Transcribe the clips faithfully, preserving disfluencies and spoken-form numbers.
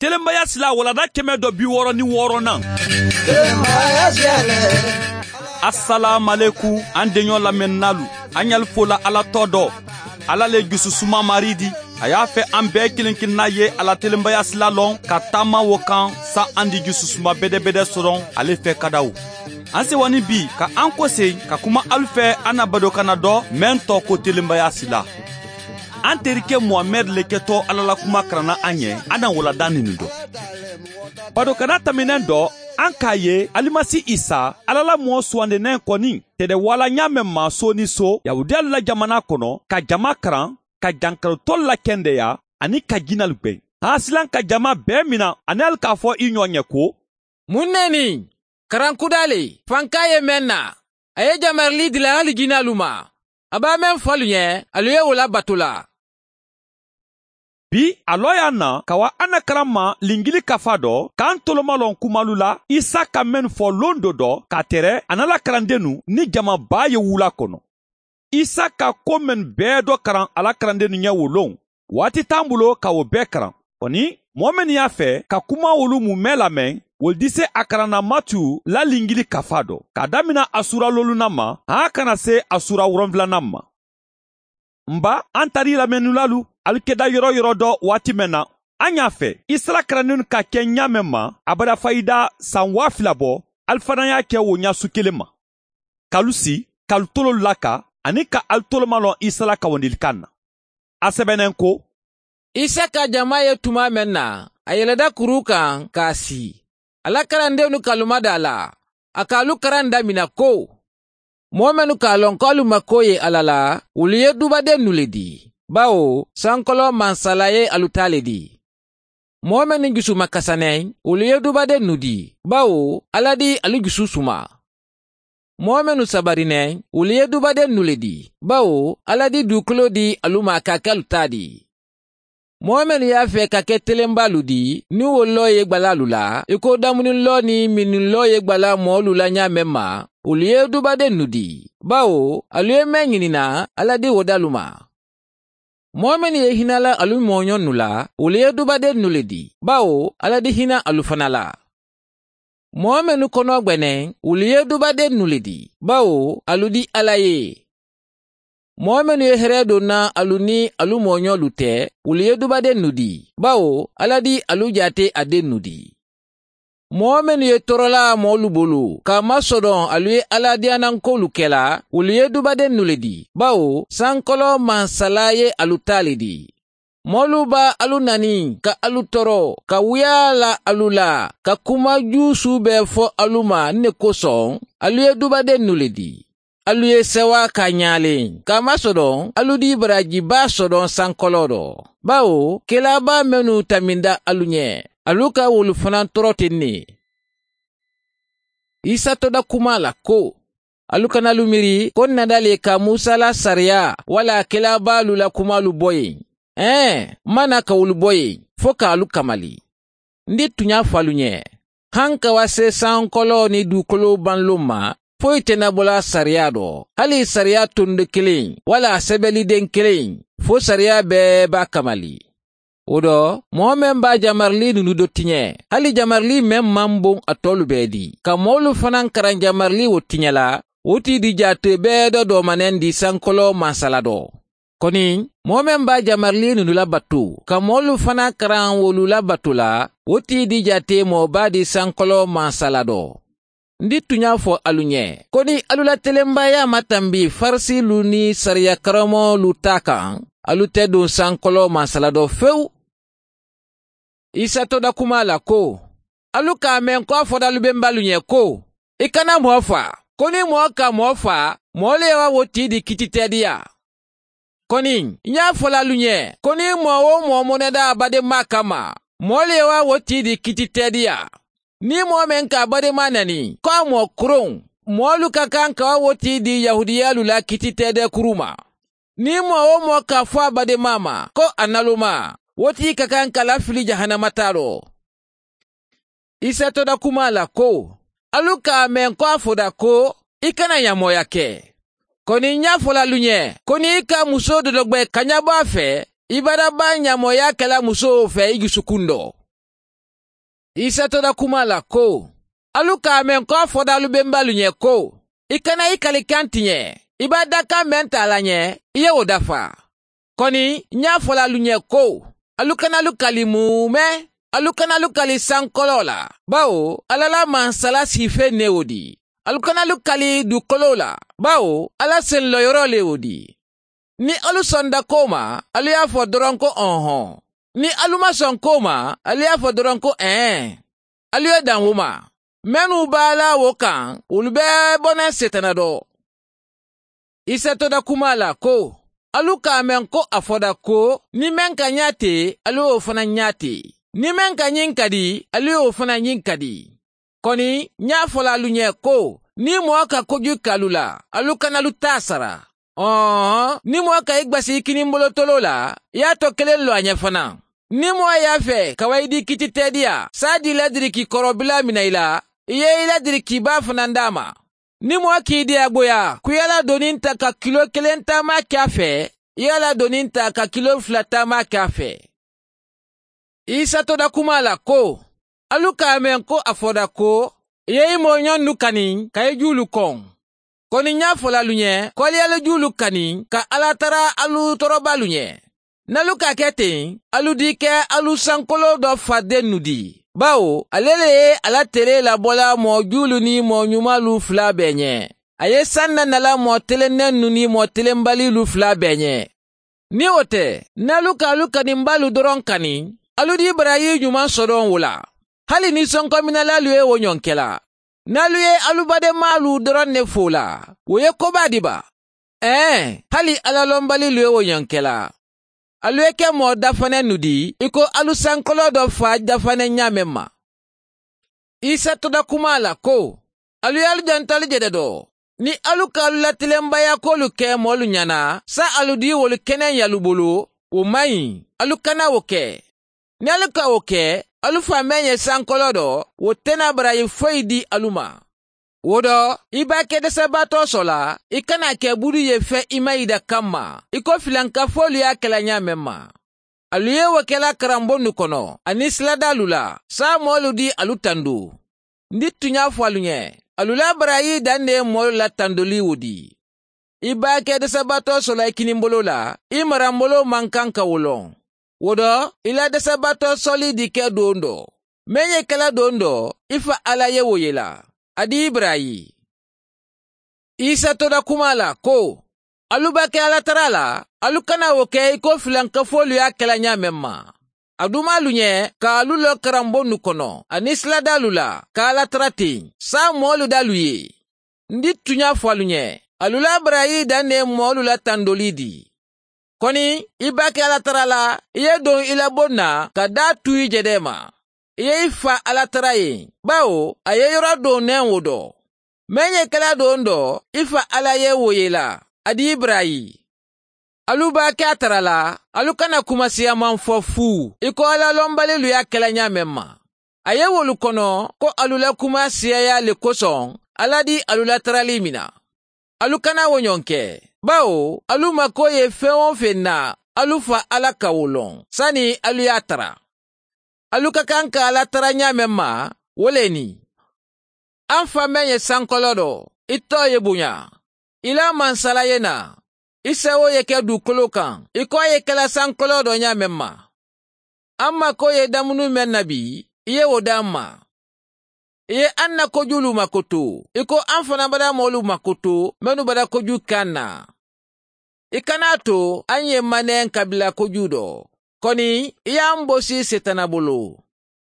Telenbaya sila walanda kɛmɛ dɔ bi wɔɔrɔ ni wɔɔrɔnan. Asalaamualekum, an deɲɔ lamɛnninaalu, an ɲali fola ala tɔ dɔ. Ala le jususuma mari di. A y'a fɛ an bɛɛ kelen kelenna ye a la telenbaya sila lɔn ka taama wo kan, sa an di jususuma bedebede sɔrɔ ale fɛ kadaw. An sewanin bi ka an kosen ka kuma alu fɛ an na badokana dɔ, meŋ tɔgɔ ko telenbaya sila. An terike muhamɛdi le kɛtɔ ala la kuma karanna an ye an na walanda ninnu dɔn. Badokana tɛmɛnen dɔ, an k'a ye alimasi isa, ala la mɔɔ suwandinnen kɔni tɛ dɛ wala ɲa mɛn maa so ni so yahudiyalu la jamana kɔnɔ, ka jama karan, ka jankarotolu la kɛndeya, ani ka jinalu gbɛn. Hasilan ka jama bɛɛ mina ani ali k'a fɔ i ɲɔ ɲɛ ko, mun ne ni karankuda le fanka ye meŋ na, a ye jamarili dila hali jinalu ma. A b'a meŋ fɔ alu ɲɛ, alu ye wo labato la. Bi a lɔya na ka wa an na karan ma lingili kafa dɔ, k'an tolomalɔn kumalu la isa ka meŋ fɔ londo dɔ ka tere a na la karandennu ni jama baa ye wula kɔnɔ. Isa ka ko mennu bɛɛ dɔ karan a la karandennu ɲɛ wo loŋ. Waati t'an bolo ka wo bɛɛ karan. Kɔni, moo mennu y'a fɛ ka kuma wolu mu meŋ lameŋ, wolu dise a karanna matiyu la lingili kafa dɔ, k'a damina a suura loolunan ma, a kana se a suura woronfulanan ma. N ba, an tari lamɛnnilaalu, alu keda yɔrɔ yɔrɔ dɔ waati meŋ na, an y'a fɛ isa la karandennu ka ke ɲa meŋ ma, abada fayida san waa fila bɔ, alu fanaŋ y'a ke wo ɲa su kelen ma. K'alu si, k'alu tololu laka, ani ka alu tolomalɔn isa la kawandilikan na. A sebennen ko, isa ka jama ye tuma meŋ na, a yeleda kuru kaŋ k'a si. A la karandennu ka lumada a la, a ka alu karan damina ko, moo mennu ka a loŋ ko alu ma ko ye alla la, wolu ye dubadennu le di, bawo sankoloo mansala ye alu taa le di. Moo mennu jusu ma kasa neŋ, wolu ye dubadennu di, bawo alla di alu jusu suma. Moo mennu sabari neŋ, wolu ye dubadennu le di, bawo alla di duukoloo di alu ma ka ke alu taa di. Moo mennu ye a fee ka ke telenbaalu di, niŋ wo loo ye gbala alu la i ko damunin loo niŋ minniŋ loo ye gbala moolu la ñaameŋ ma, wolu ye dubadennu di, bawo alu ye meŋ ñini na, alla di wo dalu ma. Moo mennu ye hinala alu mooñonnu la, wolu ye dubadennu le di, bawo alla di hina alu fana la. Moo mennu konoo gbe neŋ, wolu ye dubadennu le di, bawo alu di alla ye. Moo mennu ye heree do na alu niŋ alu mooñolu te, wolu ye dubadennu di, bawo alla di alu jaate a dennu di. Moo mennu ye toorolaa moolu bulu ka a masodoŋ alu ye alla diyaanankoolu ke la, wolu ye dubadennu le di, bawo sankoloo mansala ye alu taa le di. Moolu be alu naniŋ ka alu tooro, ka wuyaa la alu la, ka kuma juusuu bee fo alu ma ne kosoŋ, alu ye dubadennu le di. Alu ye sewa ka ñaaleŋ ka a masodoŋ alu di baraaji baa sodoŋ sankoloo do, bawo kelaa baa mennu taminda alu ñe, alu ka wolu fanaŋ tooro teŋ ne. Isa toda kumaa la ko, alu kana alu miiri ko ǹ na dali ka musa la sariya walla kelaa baalu la kumaalu bo yen. Ee, ǹ maŋ na ka wolu bo yen fo ka alu kamali. Ǹ di tuñaa fo alu ñe, hankawase sankoloo niŋ duukoloo baŋ loŋ ma, foyi te ǹ na bo la sariya do, hali sariya tondo kiliŋ walla a sebelideŋ kiliŋ, fo sariya bee be a kamali. Wo do, moo meŋ be a jamarili nunu do ti ñe, hali jamarili meŋ maŋ buŋ a toolu bee di ka moolu fanaŋ karaŋ jamarili wo ti ñe la, wo ti di jaatee bee do doomaneŋ di sankoloo mansala do. Koni, moo meŋ be a jamarili nunu la batu ka moolu fanaŋ karaŋ wolu la batu la, wo ti di jaatee moo baa di sankoloo mansala do. Ǹ di tuñaa fo alu ñe, koni alu la telembaaya maŋ tambi farisiilu niŋ sariya karammoolu taa kaŋ, alu te duŋ sankoloo mansala do fewu. Isa toda kumaa la ko, alu ka a meŋ ko a foda lubembaalu ñe ko, i kana moo faa. Koni moo ka moo faa, moolu ye wo wo tii di kititeediyaa. Koni, ǹ ye a fo la alu ñe, koni moo-wo-moo moneda a bademaa kamma, moolu ye wo wo tii di kititeediyaa. Niŋ moo meŋ ka a bademaa nani ko a moo kuruŋ, moolu ka kaŋ ka wo wo tii di yahudiyaalu la kititeedee kuruma. Niŋ moo-wo-moo ka a fo a bademaa ma ko a nalumaa, wo tii ka kaŋ ka lafili jahanama taaloo. Isa toda kumaa la ko, alu ka a meŋ ko a foda ko, i kana ñamooya ke. Koni ǹ ye a fo la alu ñe, koni i ka musoo dodogbe kañabaa fee, i badabaa ñamooyaa ke la musoo fee i jusukuŋ do. Isa to da kuma a la ko, alu ka a meŋ ko a fodaalu bembaalu ɲee ko, i kana i kali kaŋ ti ɲee, i be a dakaŋ meŋ taa la ɲee, i ye wo dafa. Koni ǹ ye a fo la alu ɲee ko, alu kana alu kali muume, alu kana alu kali sankoloo la, bawo alla la mansala siifee ne wo di. Alu kana alu kali duukoloo la, bawo alla senloyoroo le wo di. Niŋ alu sonda koo ma, alu ye a fo doroŋ ko ohoŋ. Niŋ alu maŋ soŋ koo ma, alu ye a fo doroŋ ko eeŋ. Alu ye daŋ wo ma. Mennu be a la wo kaŋ, wolu be bo naŋ seetana do. Isa to da kuma a la ko, alu ka a meŋ ko a fo da ko, niŋ meŋ ka ɲaa te, alu ye wo fanaa ɲaa te. Niŋ meŋ ka ɲiŋ kadi, alu ye wo fanaa ɲiŋ kadi. Koni ǹ ye a fo la alu ɲee ko, niŋ moo ka koju ke alu la, alu kana alu taa sara. Ohoŋ, niŋ moo ka i gbasi i kinimbolootoloo la, i ye a too keleŋ loo a ɲee fanaa. Niŋ moo ye a fee ka wa i dii kiiti teediyaa, saadii ladiriki koroo bilaa mina i la, i ye i ladiriki baa fanaa daa a ma. Niŋ moo ka i dii a boyaa kuyaa la doniŋ taa ka kiloo keleŋ taamaa ke a fee, i ye a la doniŋ taa ka kiloo fula taamaa ke a fee. Isa to da kuma a la ko, alu ka a meŋ ko a fo da ko, i ye i mooɲonnu kaniŋ ka i juulu koŋ. Koni ǹ ye a fo la alu ɲee ko alu ye alu juulu kaniŋ ka alla tara alu toorobaalu ɲee. Niŋ alu ka a ke teŋ, alu dii ke alu sankoloo do faridennu di. Bawo ale le ye a la telee labola moo juulu niŋ moo ɲumaalu fula bee ɲee. A ye saŋ na nala moo telennennu niŋ moo telembaliilu fula bee ɲee. Niŋ wo te, niŋ alu ka alu kanimbaalu doroŋ kani, alu dii barayi ɲumaŋ sodoŋ wo la. Hali niŋ sonkominalaalu ye wo ɲoŋ ke la, niŋ alu ye alu bademaalu doroŋ ne fo la, wo ye kobaa di ba? Ee, hali alla lombaliilu ye wo ɲoŋ ke la. Alu ye ke moo dafanennu di i ko alu sankoloo do faa dafaneŋ ñaameŋ ma. Isa to da kuma a la ko, alu ye alu janto alu je de do. Niŋ alu ka alu la tilembayaakoolu ke moolu ñana, saayiŋ alu dii wolu keneŋ ye alu bulu, wo maŋ ɲi. Alu kana wo ke. Niŋ alu ka wo ke, alu fa meŋ ye sankoloo do, wo te naa barayi foyi dii alu ma. Wo do, i be a ke desebaatoo soo la, i kana a ke budu ye fe i mayiida kamma, i ko filankafoolu ye a ke la ñaameŋ ma. Alu ye wo ke la karambonnu kono aniŋ siladaalu la, saayiŋ moolu dii alu tandu. N di tuñaa fo alu ñe, alu la barayi daŋ ne ye moolu la tandolii wo dii. I be a ke desebaatoo soo la i kinimboloo la, i maramboloo maŋ kaŋ ka wo loŋ. Wo do, i la desebaatoo soolii di ke doondoo. Meŋ ye ke la doondoo, i fa alla ye wo ye la. A di i barayi. Isa to da kuma a la ko, alu be a ke alla tara la, alu kana wo ke i ko filankafoolu ye a ke la ñaameŋ ma. A dumaalu ñe ka alu loo karambonnu kono aniŋ siladaalu la ka alla tara teŋ, saayiŋ moolu de alu ye. N di tuñaa fo alu ñe, alu la barayi daŋ ne ye moolu la tandolii di. Koni i be a ke alla tara la, i ye doŋ i la boŋ na ka daa tuu i je de ma. I ye i fa alla tara ye, bawo a ye yoro doŋ neŋ wo do. Meŋ ye ke la doondoo, i fa alla ye wo ye la. A di i barayi. Alu be a ke a tara la, alu kana kuma siyaamaŋ fo fuu i ko alla lombaliilu ye a ke la ñaameŋ ma. A ye wolu kono ko alu la kuma siyayaa le kosoŋ, alla di alu la taralii mina. Alu kana wo ñoŋ ke, bawo alu makoo ye feŋ-wo-feŋ na, alu fa alla ka wo loŋ sani alu ye a tara. Alu ka kaŋ ka alla tara ñaameŋ ma, wo le ni, a m fa meŋ ye sankoloo do, i too ye buña. I la mansala ye naa, i sewoo ye ke duukoloo kaŋ i ko a ye ke la sankoloo do ñaameŋ ma. A m makoo ye damunu meŋ na bii, i ye wo de a m ma. I ye a n na kojuulu makoto, i ko a m fanaa badamoolu makoto mennu bada kojuu ke a n na. I kana a to a n ye maneeŋ kabila kojuu do, koni i ye a m bosi seetana bulu.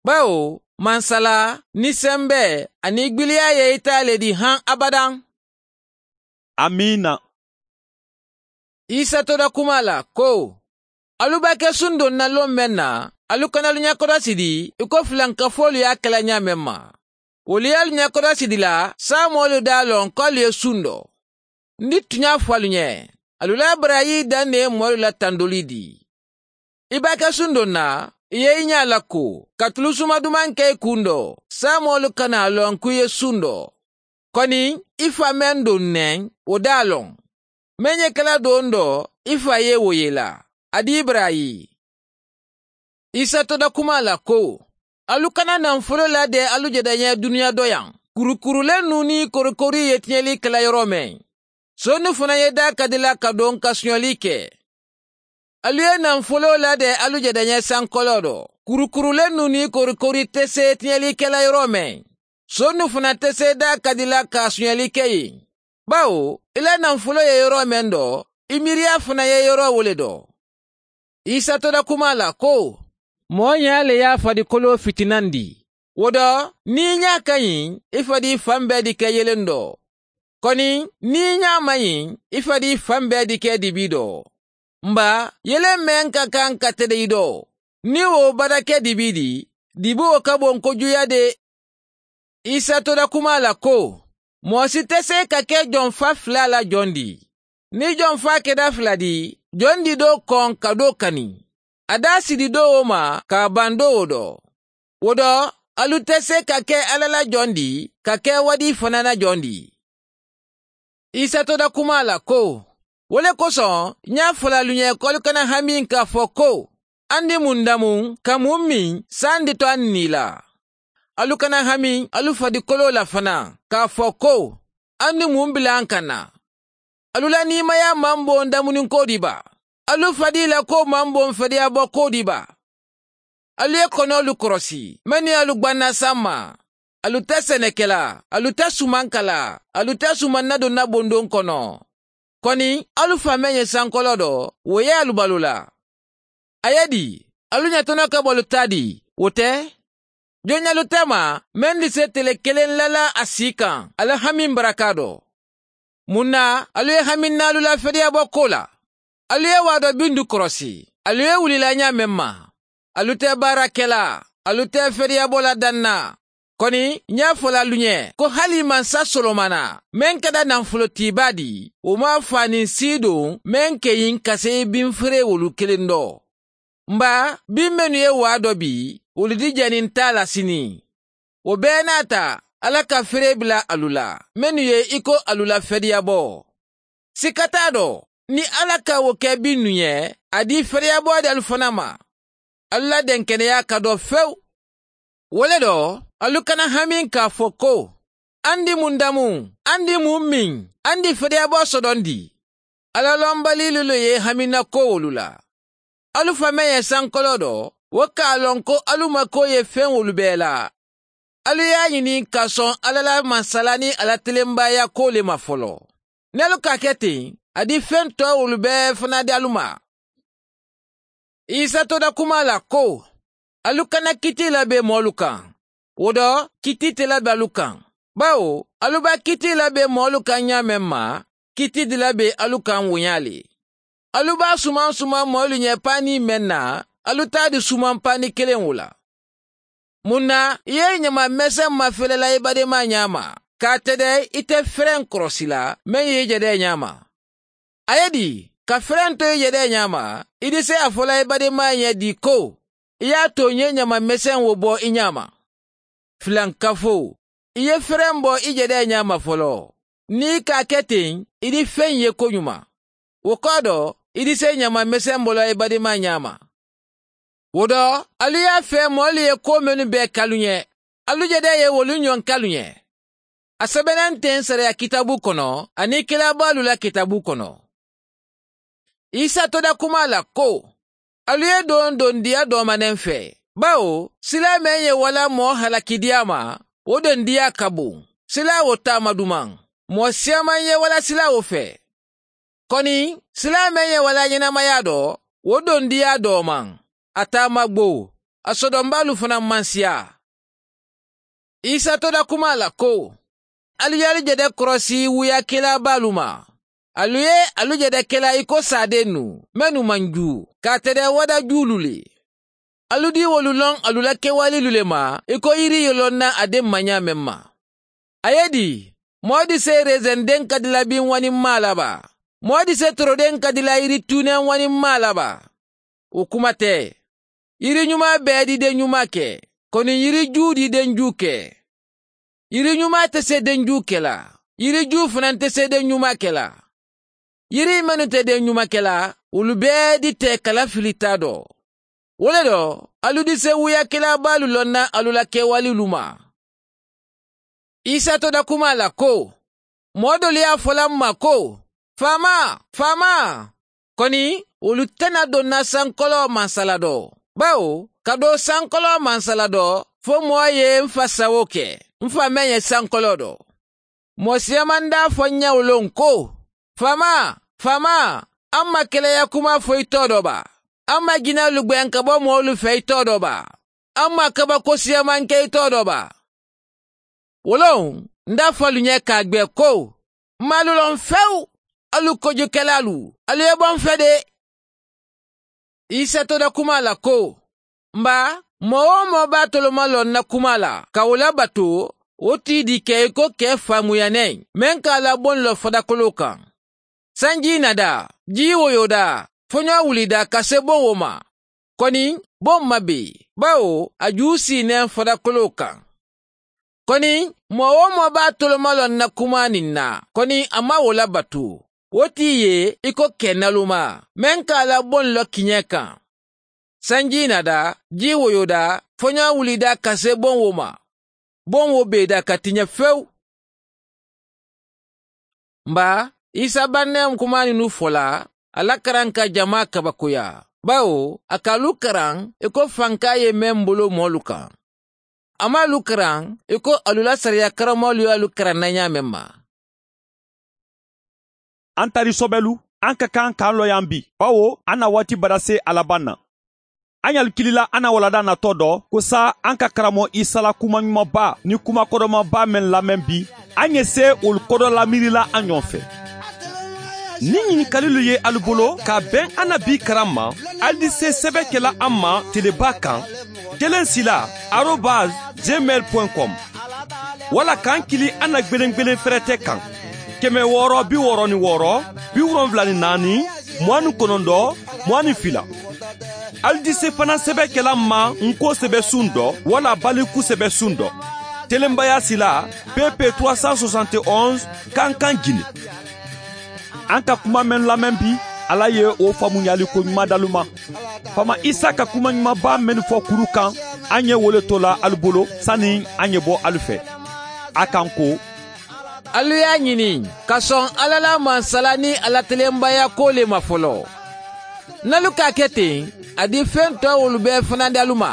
Bawo mansala, niŋ sembee aniŋ gbiliyaa ye i taa le di haŋ abadaŋ. Amiina. Isa to da kuma a la ko, alu be a ke sundoŋ na loŋ meŋ na, alu kana alu ñakodasi di i ko filankafoolu ye a ke la ñaameŋ ma. Wolu ye alu ñakodasi di la, saayiŋ moolu de a loŋ ko alu ye sundo. N di tuñaa fo alu ñe, alu la barayi daŋ ne ye moolu la tandolii di. I be a ke sundoŋ na, i ye i ñaa lakku ka tulu suma dumaŋ ke i kuŋ do, saayiŋ moolu kana a loŋ ko i ye sundo. Koni i fa meŋ doŋ neŋ, wo de a loŋ. Meŋ ye ke la doondoo, i fa ye wo ye la. A di i barayi. Isa to da kuma a la ko, Alu kana naŋ foloo la dee alu je dañee duniyaa doyaŋ. Kurukurulennu niŋ korikorii ye tiñelii ke la yoroo meŋ, sonnu fanaa ye daa kadi la ka doŋ ka suñelii ke. Alu ye naŋ foloo la dee alu je dañee sankoloo do. Kurukurulennu niŋ korikorii te see tiñelii ke la yoroo meŋ, sonnu fanaa te see daa kadi la ka suñelii ke ì. Bawo i la naŋ foloo ye yoroo meŋ do, i miiriyaa fanaa ye yoroo wo le do. Isa to da kumaa la ko, moo ñaa le ye a fadikoloo fitinandi. Wo do, niŋ i ñaa ka ñiŋ, i fadii faŋ bee dikee yelendoo. Koni niŋ i ñaa maŋ ñiŋ, i fadii faŋ bee dikee dibii doo. Mba, yeleŋ meŋ ka kaŋ ka tede i doo, niŋ wo badakee dibii dii, dibii wo ka boŋ ko juuyaa de. Isa to da kumaa la ko, moo si te see ka ke joŋ faa filaa la joŋ dii. Niŋ joŋ faa keda fila dii, joŋ dii doo koŋ ka doo kani, a daa si dii doo wo ma ka a baŋ doo wo do. Wo do, alu te see ka ke alla la joŋ dii ka ke wadii fanaa na joŋ dii. Isa to da kumaa la ko, wo le kosoŋ ñaa fo la alu ñe ko alu kana hamiŋ ka a fo ko, andi muŋ damuŋ ka muŋ miŋ saandi to a niŋ ì la. Alu kana hamiŋ alu fadikoloo la fanaa ka a fo ko, andi muŋ bila n kaŋ na. Alu la niimayaa maŋ boŋ damuniŋ koo dii baa? Alu fadii la koo maŋ boŋ fadiyaa boo koo dii baa? Alu ye konoolu korosi mennu ye alu gbanna samma. Alu te senekela, alu te sumankala, alu te sumanna donna bondoŋ kono. Koni alu fa meŋ ye sankoloo do, wo ye alu baluu la. A ye dii, alu ñatono ka bo alu taa dii, wo te? Joŋ ñalu te ma meŋ di se tele keleŋ lala a sii kaŋ a la hamiŋ barakaa do? Muŋ na alu ye hamiŋ naalu la fediya bo koo la? Alu ye waadoo bindu korosi, alu ye wuli la ñaameŋ ma. Alu te baara ke la, alu te fediya bo la daŋ na. Koni ñaa fo la alu ñe ko hali mansa solomana meŋ keda naŋ folotiibaa di, wo maŋ a faaniŋ siidoŋ meŋ ke ñiŋ ka seyi biŋ fereewolu keleŋ do. Mba, biŋ mennu ye waadoo bii wolu di janiŋ taa la siniŋ. Wo bee naata, alla ka feree bila alu la mennu ye i ko alu la fediya bo. Sika taa do, niŋ alla ka wo ke biŋ nu ñe, a dii fediya bo de alu fanaa ma. Alu la denkeneyaa ka doo fewu. Wo le do, alu kana hamiŋ ka a fo ko, andi muŋ damuŋ, andi muŋ miŋ, andi fediya bo sodondi. Alla lombaliilu le ye i haminna koowolu la. Alu fa meŋ ye sankoloo do, wo ka a loŋ ko alu makoo ye feŋ wolu bee la. Alu ye a ñini ka soŋ alla la mansala niŋ a la telembaaya koo le ma foloo. Niŋ alu ka a ke teŋ, a di feŋ too wolu bee fanaa di alu ma. Isa to da kumaa la ko, alu kana kitii la be moolu kaŋ. Wo do, kitii te la be alu kaŋ. Bawo alu be kitii la be moolu kaŋ ñaameŋ ma, kitii di la be alu kaŋ wo ñaa le. Alu be sumaŋ sumaŋ moolu ñe paanii meŋ na, alu taa di sumaŋ paanii keleŋ wo la. Muŋ na i ye i ñama meseŋ mafele la i bademaa ñaama, ka a tede i te fereŋ korosi la meŋ ye i jedee ñaama? A ye dii, ka fereŋ to i jedee ñaama, i di se a fo la i bademaa ye dii ko, i ye a tooñee ñama meseŋ wo bo i ñaama. Filankafoo, i ye fereŋ bo i jedee ñaama foloo. Niŋ i ka a ke teŋ, i di feŋ ye koñuma. Wo koo do, i di se ñama meseŋ bo la i bademaa ñaama. Wo do, alu ye a fee moolu ye kuwo mennu bee ke alu ñe, alu jedee ye wolu ñoŋ ke alu ñe. A sebenenteŋ sariya kitaabu kono aniŋ kilaabaalu la kitaabu kono. Isa to da kumaa la ko, alu ye doondoŋ diya dooma ne n fee. Bawo silaa meŋ ye wala moo halakidiyaa ma, wo doŋ diyaa ka buŋ. Silaa wo taama dumaŋ, moo siyaamaŋ ye wala silaa wo fee. Koni silaa meŋ ye wala ñenemayaa do, wo doŋ diyaa doomaŋ. A taama gbow, a sodombaalu fanaa maŋ siyaa. Isa to da kumaa la ko, alu ye alu jede korosi wuyaa kelaa baalu ma. Alu ye alu jede kelaa i ko saadennu mennu maŋ juu, ka a tede wada juulu le. Alu dii wolu loŋ alu la kewaaliilu le ma i ko yiri ye loŋ na a deŋ ma ñaameŋ ma. A ye dii, moo di se reseŋ deŋ ka dila biŋ waniŋ maa la baa? Moo di se toro deŋ ka dila yiri tuuneŋ waniŋ maa la baa? Wo kuma te. Yiri ñumaa bee di deŋ ñumaa ke, koni yiri juu di deŋ juu ke. Yiri ñumaa te se deŋ juu ke la, yiri juu fanaa te se deŋ ñumaa ke la. Yiri mennu te deŋ ñumaa ke la, wolu bee di te kala fili taa do. Wo le do, alu dise wuuyakelaa baalu loŋ na alu la kewalilu ma. Isa to da kumaa la ko, moo doolu ye a fo la m ma ko, faamaa, faamaa. Koni wolu te na doŋ na sankoloo mansala do, bawo ka doo sankoloo mansala do, fo moo ye m fa sawo ke, m fa meŋ ye sankoloo do. Moo siyamandaa fo n ñawoloŋ ko, faamaa, faamaa, a ma keleya kumaa fo i too do baa? A ma jinewolu gbeŋ ka bo moolu fee i too do baa? A ma kabako siyamanke i too do baa? Wo loŋ, n da fo alu ñe ka a gbe ko, m ma alu loŋ fewu. Alu kojukelaalu, alu ye bo m fe de. Isa to da kumaa la ko, m baa, moo-wo-moo be a toloma loŋ na kumaa la ka wo labatu, wo tii dii ke i ko kee faamuyaneŋ meŋ ka a la boŋ lo fadakoloo kaŋ. Sanjii na daa, jii woyoo daa, foñoo wuli daa ka see boŋ wo ma. Koni boŋ ma bee, bawo a juu sii neŋ fadakoloo kaŋ. Koni moo-wo-moo be a toloma loŋ na kumaa niŋ na, koni a maŋ wo labatu, wo tii ye i ko kee nalumaa meŋ ka a la boŋ lo kiñee kaŋ. Sanjii na daa, jii woyoo daa, foñoo wuli daa ka see boŋ wo ma. Boŋ wo bee daa ka tiña fewu. M baa, isa bannayam kumaa niŋ nu fo la, a la karaŋ ka jamaa kabakoyaa, bawo a ka alu karaŋ i ko fankaa ye meŋ bolo moolu kaŋ. A maŋ alu karaŋ i ko alu la sariya karamoolu ye alu karaŋ na ñaameŋ ma. An tari sobelu, an ka kaŋ ka an loyaŋ bi, bawo an na waati badasee a labaŋ na. An ye alu kilila an na walanda natoo do ko saayiŋ an ka karamoo isa la kumaɲumanbaa niŋ kumakodomanbaa meŋ lameŋ bi, an ye see wolu kodo lamiirila an ñoŋ fe. Niŋ ñinikalilu ye alu bolo ka a beŋ an na bii karaŋ ma, alu di see sebe ke la an ma telebaa kaŋ, keleŋ sila arobas gmail point com, walla ka an kili an na gbelengbelen ferete kaŋ, keme wooro bi wooro niŋ wooro, bi wolonwula niŋ naani, muwaŋ niŋ konondoo, muwaŋ niŋ fila. Alu di see fanaŋ sebe ke la n ma n ko sebesuŋ do walla baliku sebesuŋ do, telembayaa sila, pp trois cent soixante et onze, kankan gine. An ka kuma meŋ lameŋ bi, ala ye wo faamuyaali ko ñumaa dalu ma. Faama isa ka kumaɲumanbaa mennu fo kuru kaŋ, an ye wo le to la alu bolo sani an ye bo alu fe. A kaŋ ko, alu ye a ñini ka soŋ ala la mansala niŋ a la telembayaakoo le ma folo. N alu ka a ke teŋ, a di fentoo wolu bee fanandi alu ma.